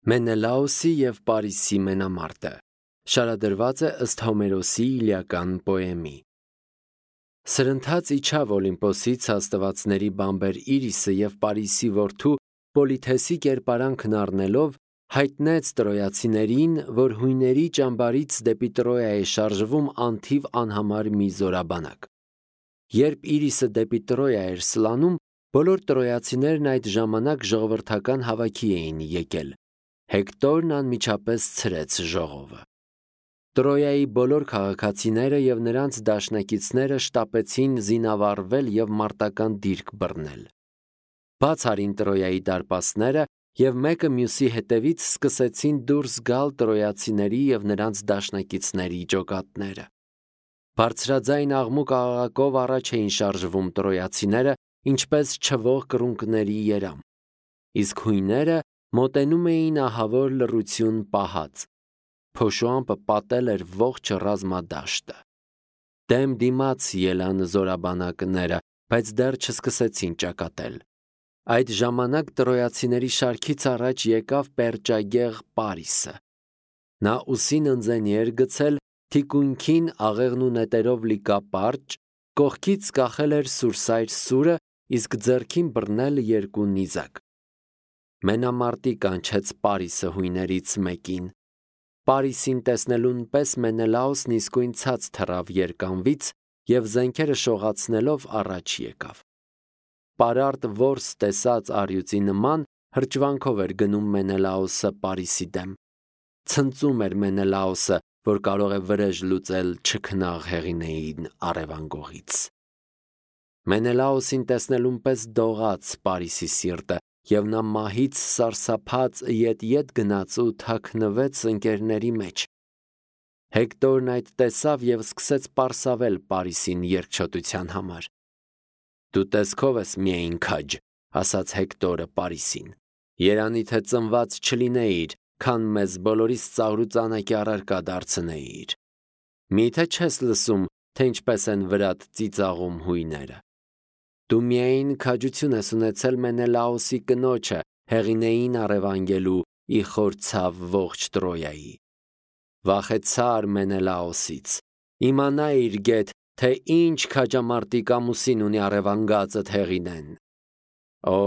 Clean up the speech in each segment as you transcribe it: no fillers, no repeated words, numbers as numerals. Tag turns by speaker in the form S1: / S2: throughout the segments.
S1: Մենելաոսի և Պարիսի մենամարտը շարադրված է ըստ Հոմերոսի իլիական պոեմի։ Սրընթաց իջավ Օլիմպոսից աստվածների բամբեր Իրիսը և Պարիսի որդու Պոլիթեսի կերպարանքն առնելով հայտնեց տրոյացիներին, որ հույների ճամբարից դեպի Տրոյա է շարժվում անթիվ անհամար մի զորաբանակ։ Երբ Իրիսը դեպի Տրոյա էր սլանում, բոլոր տրոյացիներն այդ ժամանակ ժողովրդական հավաքի էին եկել։ Հեկտորն անմիջապես ցրեց ժողովը։ Տրոյայի բոլոր քաղաքացիները և նրանց դաշնակիցները շտապեցին զինավառվել և մարտական դիրք բռնել։ Բաց արին Տրոյայի դարպասները և մեկը մյուսի հետևից սկսեցին դուրս գալ տրոյացիների և նրանց դաշնակիցների ջոկատները։ Բարձրաձայն աղմուկ աղաղակով առաջ էին շարժվում տրոյացիները, ինչպես չվող կռունկների երամ։ Իսկ հույները մոտենում էին ահավոր լռություն պահած։ Փոշու ամպը պատել էր ողջ ռազմադաշտը։ Դեմ դիմաց ելան զորաբանակները, բայց դեռ չսկսեցին ճակատել։ Այդ ժամանակ տրոյացիների շարքից առաջ եկավ պերճագեղ Պարիսը։ Նա ուսին ընձենի էր գցել, թիկունքին աղեղն ու նետերով լի կապարճ, կողքից կախել էր սուրսայր սուրը, իսկ ձեռքին բռնել երկու նիզակ։ Մենամարտի կանչեց Պարիսը հույներից մեկին։ Պարիսին տեսնելուն պես Մենելաոսն իսկույն ցած թռավ երկանվից և զենքերը շողացնելով առաջ եկավ։ Պարարտ որս տեսած առյուծի նման հրճվանքով էր գնում Մենելաոսը Պարիսի դեմ։ Ցնծում էր Մենելաոսը, որ կարող է վրեժ լուծել չքնաղ Հեղինեին առևանգողից։ Մենելաոսին տեսնելուն պես դողաց Պարիսի սիրտը, և նա մահից սարսափած ետ գնաց ու թաքնվեց ընկերների մեջ։ Հեկտորն այդ տեսավ և սկսեց պարսավել Պարիսին երկչոտության համար։ «Դու տեսքով ես միայն քաջ», ասաց Հեկտորը Պարիսին։ «Երանի թե ծնված չլինեիր, քան մեզ բոլորիս ծաղրուծանակի առարկա դարձնեիր։ Մի՞թե չես լսում, թե ինչպես են վրադ ծիծաղում հույները։ Դու միայն քաջություն ես ունեցել Մենելաոսի կնոջը Հեղինեին առևանգելու ի խորցավ ողջ Տրոյայի։ Վախեցար Մենելաոսից, իմանայիր գեթ, թե ինչ քաջամարտիկ ամուսին ունի առևանգածդ Հեղինեն։ Օ,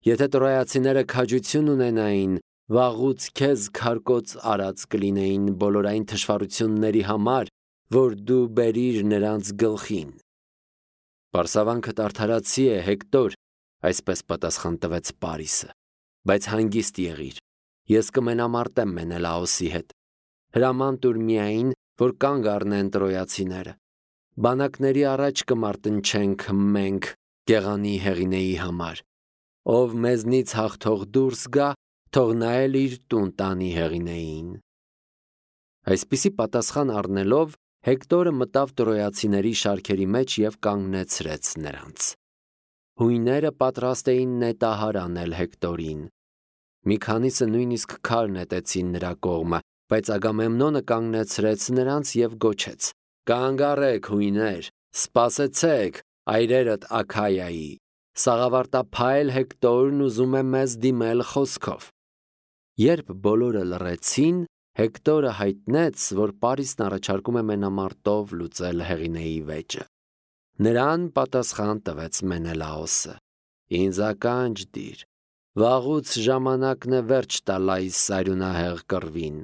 S1: եթե տրոյացիները քաջություն ունենային, վաղուց քեզ քարկոծ արած կլինեին բոլոր այն թշվառությունների համար, որ դու բերիր նրանց գլխին»։ «Պարսավանքդ արդարացի է, Հեկտոր», այսպես պատասխան տվեց Պարիսը, «բայց հանգիստ եղիր, ես կմենամարտեմ Մենելաոսի հետ։ Հրաման տուր միայն, որ կանգ առնեն տրոյացիները։ Բանակների առաջ կմարտնչենք մենք գեղանի Հեղինեի համար։ Ով մեզնից հաղթող դուրս գա, թող նա էլ իր տուն տանի Հեղինեին»։ Այսպիսի պատասխան առնելով, Հեկտորը մտավ տրոյացիների շարքերի մեջ և կանգնեցրեց նրանց։ Հույները պատրաստ էին նետահար անել Հեկտորին։ Մի քանիսը նույնիսկ քար նետեցին նրա կողմը, բայց Ագամեմնոնը կանգնեցրեց նրանց և գոչեց. «Կանգ առեք, հույներ, սպասեցեք, այրերդ Աքայայի, սաղավարտափայլ Հեկտորն ուզում է մեզ դիմել խոսքով»։ Երբ բոլորը լռեցին, Հեկտորը հայտնեց, որ Պարիսն առաջարկում է մենամարտով լուծել Հեղինեի վեճը։ Նրան պատասխան տվեց Մենելաոսը. «Ինձ ականջ դիր, վաղուց ժամանակն է վերջ տալ այս արյունահեղ կռվին։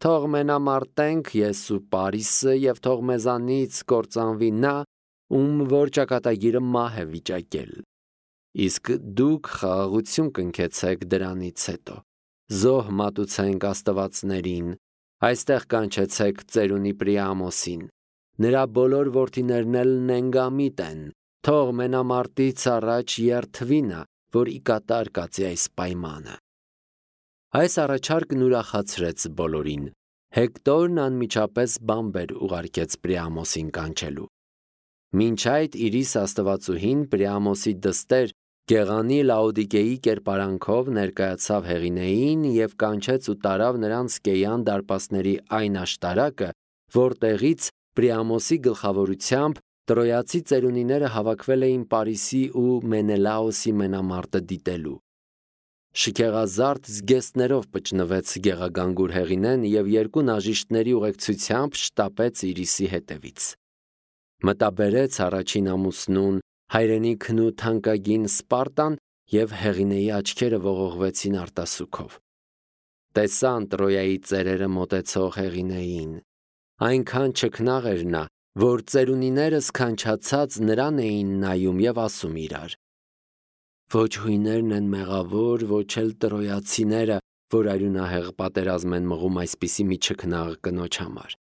S1: Թող մենամարտենք ես ու Պարիսը և թող մեզանից կործանվի նա, ում որ ճակատագիրը մահ է վիճակել։ Իսկ դուք խաղաղություն կնքեցեք դրանից հետո։ Զոհ մատուցենք աստվածներին, այստեղ կանչեցեք ծերունի Պրիամոսին։ Նրա բոլոր որդիներն էլ նենգամիտ են, թող մենամարտից առաջ երդվի նա, որ ի կատար կացի այս պայմանը»։ Այս առաջարկն ուրախացրեց բոլորին։ Հեկտորն անմիջապես բամբեր ուղարկեց Պրիամոսին կանչելու։ Մինչ այդ Իրիս աստվածուհին Պրիամոսի դստեր Գեղանի Լաոդիկեի կերպարանքով ներկայացավ Հեղինեին և կանչեց ու տարավ նրան Սկեյան դարպասների այն աշտարակը, որտեղից Պրիամոսի գլխավորությամբ տրոյացի ծերունիները հավաքվել էին Պարիսի ու Մենելաոսի մենամարտը դիտելու։ շքեղազարդ զգեստներով պճնվեց գեղագանգուր հեղինեն և երկու նաժիշտների ուղեկցությամբ շտապեց Իրիսի հետևից։ Մտաբերեց առաջին ամուսնուն, հայրենիքն ու թանկագին Սպարտան և Հեղինեի աչքերը ողողվեցին արտասուքով։ Տեսան Տրոյայի ծերերը մոտեցող Հեղինեին։ Այնքան չքնաղ էր նա, որ ծերունիները սքանչացած նրան էին նայում և ասում իրար. «Ոչ հույներն են մեղավոր, ոչ էլ տրոյացիները, որ արյունահեղ պատերազմ են մղում այսպիսի մի չքնաղ կնոջ համար։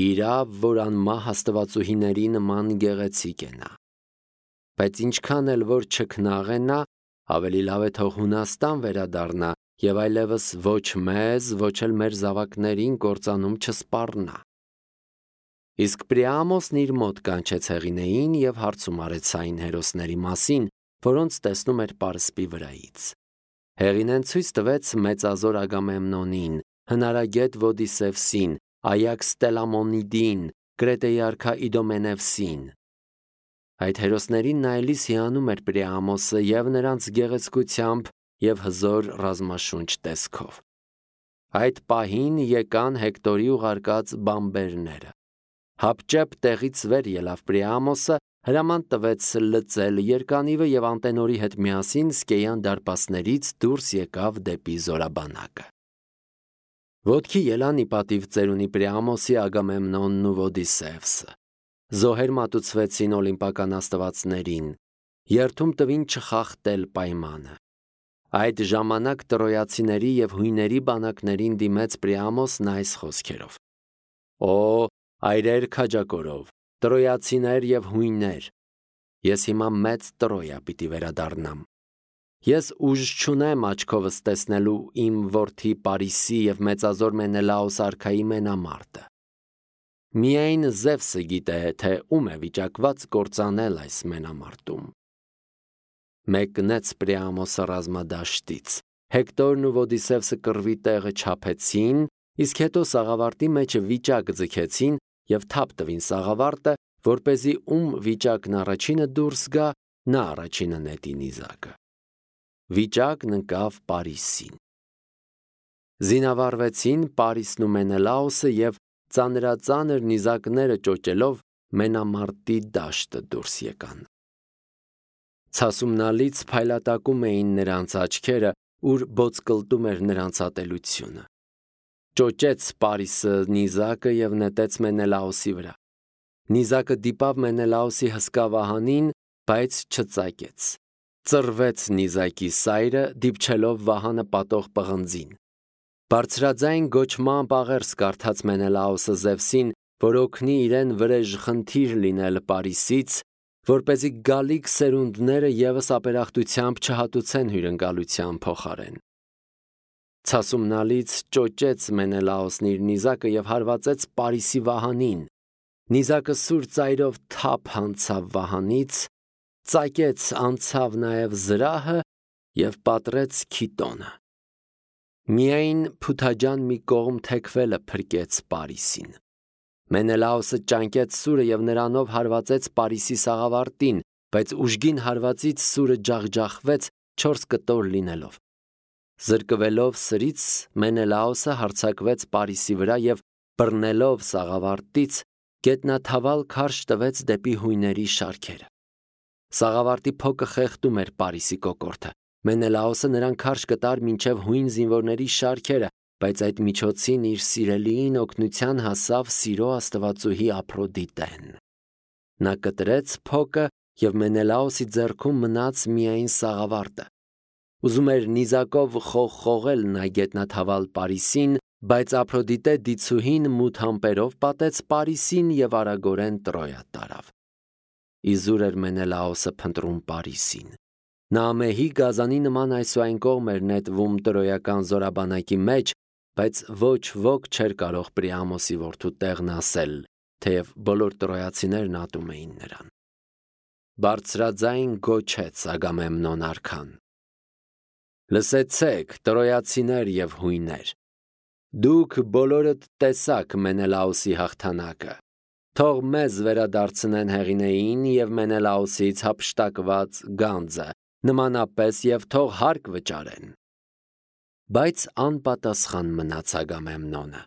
S1: Իրավ, որ անմահ աստվածուհիների նման գեղեցիկ է նա։ Բայց ինչքան էլ որ չքնաղ է նա, ավելի լավ է թող Հունաստան վերադառնա և այլևս ոչ մեզ, ոչ էլ մեր զավակներին կործանում չսպառնա»։ Իսկ Պրիամոսն իր մոտ կանչեց Հեղինեին և հարցում արեց այն հերոսների մասին, որոնց տեսնում էր պարսպի վրայից։ Հեղինեն ցույց տվեց մեծազոր Ագամեմնոնին, հնարագետ Ոդիսևսին, Այաքս Տելամոնիդին, Կրետեի արքա Իդոմենևսին։ Այդ հերոսներին նայելիս հիանում էր Պրիամոսը և նրանց գեղեցկությամբ և հզոր ռազմաշունչ տեսքով։ Այդ պահին եկան Հեկտորի ուղարկած բանբերները։ Հապճեպ տեղից վեր ելավ Պրիամոսը, հրաման տվեց լծել երկանիվը և Անտենորի հետ միասին Սկեյան դարպասներից դուրս եկավ դեպի զորաբանակը։ Ոտքի ելան ի պատիվ ծերունի Պրիամոսի Ագամեմնոնն ու Ոդիսևսը։ Զոհեր մատուցվեցին օլիմպական աստվածներին, երդում տվին չխախտել պայմանը։ Այդ ժամանակ տրոյացիների և հույների բանակներին դիմեց Պրիամոսն այս խոսքերով. «Օ, այրեր քաջակորով, տրոյացիներ և հույներ, ես հիմա մեծ Տրոյա պիտի վերադառնամ։ Ես ուժ չունեմ աչքովս տեսնելու իմ որդի Պարիսի և մեծազոր Մենելաոս արքայի մենամարտը։ Միայն Զևսը գիտե, թե ում է վիճակված կործանել այս մենամարտում»։ Մեկնեց Պրիամոսը ռազմադաշտից, Հեկտորն ու Ոդիսևսը կռվի տեղը չափեցին, իսկ հետո սաղավարտի մեջը վիճակ ձգեցին և թափ տվին սաղավարտը, որպեսզի ում վիճակն առաջինը դուրս գա, նա առաջինը նետի նիզակը։ Վիճակն ընկավ Պարիսին։ Զինավառվեցին Պարիսն ու Մենելաոսը և ծանրածանր նիզակները ճոճելով մենամարտի դաշտը դուրս եկան։ Ցասումնալից փայլատակում էին նրանց աչքերը, ուր բոցկլտում էր նրանց ատելությունը։ Ճոճեց Պարիսը նիզակը և նետեց Մենելաոսի վրա։ Նիզակը դիպավ Մենելաոսի հսկա վահանին, բայց չծակեց։ Ծռվեց նիզակի սայրը, դիպչելով վահանը պատող պղնձին։ Բարձրաձայն գոչմամբ աղերս կարդաց Մենելաոսը Զևսին, որ օգնի իրեն վրեժ խնդիր լինել Պարիսից, որպեսզի գալիք սերունդները ևս ապերախտությամբ չհատուցեն հյուրընկալության փոխարեն։ Ցասումնալից ճոճեց Մենելաոսն իր նիզակը և հարվածեց Պարիսի վահանին։ Նիզակը սուր ծայրով թափ հանցավ վահանից, ծակեց անցավ նաև զրահը և պատռեց Քիտոնը։ Միայն փութաջան մի կողմ թեքվելը փրկեց Պարիսին։ Մենելաոսը ճանկեց սուրը և նրանով հարվածեց Պարիսի սաղավարտին, բայց ուժգին հարվածից սուրը ջախջախվեց 4 կտոր լինելով։ Զրկվելով սրից Մենելաոսը հարձակվեց Պարիսի վրա և բռնելով սաղավարտից գետնաթավալ քարշ տվեց դեպի հույների շարքերը։ Սաղավարտի փոկը խեղդում էր Պարիսի կոկորդը։ Մենելաոսը նրան քարշ կտար մինչև հույն զինվորների շարքերը, բայց այդ միջոցին իր սիրելիին օգնության հասավ Սիրո աստվածուհի Ափրոդիտեն։ Նա կտրեց փոկը և Մենելաոսի ձեռքում մնաց միայն սաղավարտը։ Ուզում էր նիզակով խողխողել նա գետնաթավալ Պարիսին, բայց Ափրոդիտե դիցուհին մութ ամպերով պատեց Պարիսին և արագորեն Տրոյա տարավ։ Իզուր էր Մենելաոսը փնտրում Պարիսին։ Նա ամեհի գազանի նման այսուայն կողմ էր նետվում տրոյական զորաբանակի մեջ, բայց ոչ ոք չէր կարող Պրիամոսի որդու տեղն ասել, թեև բոլոր տրոյացիներն ատում էին նրան։ Բարձրաձայն գոչեց Ագամեմնոն արքան. «Լսեցեք, տրոյացիներ և հույներ, դուք բոլորդ տեսաք Մենելաոսի հաղթանակը։ Թող մեզ վերադարձնեն Հեղինեին և Մենելաոսից հափշտակված գանձը, նմանապես և թող հարկ վճարեն։ Բայց անպատասխան մնաց Ագամեմնոնը։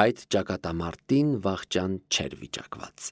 S1: Այդ ճակատամարտին վախճան չէր վիճակված։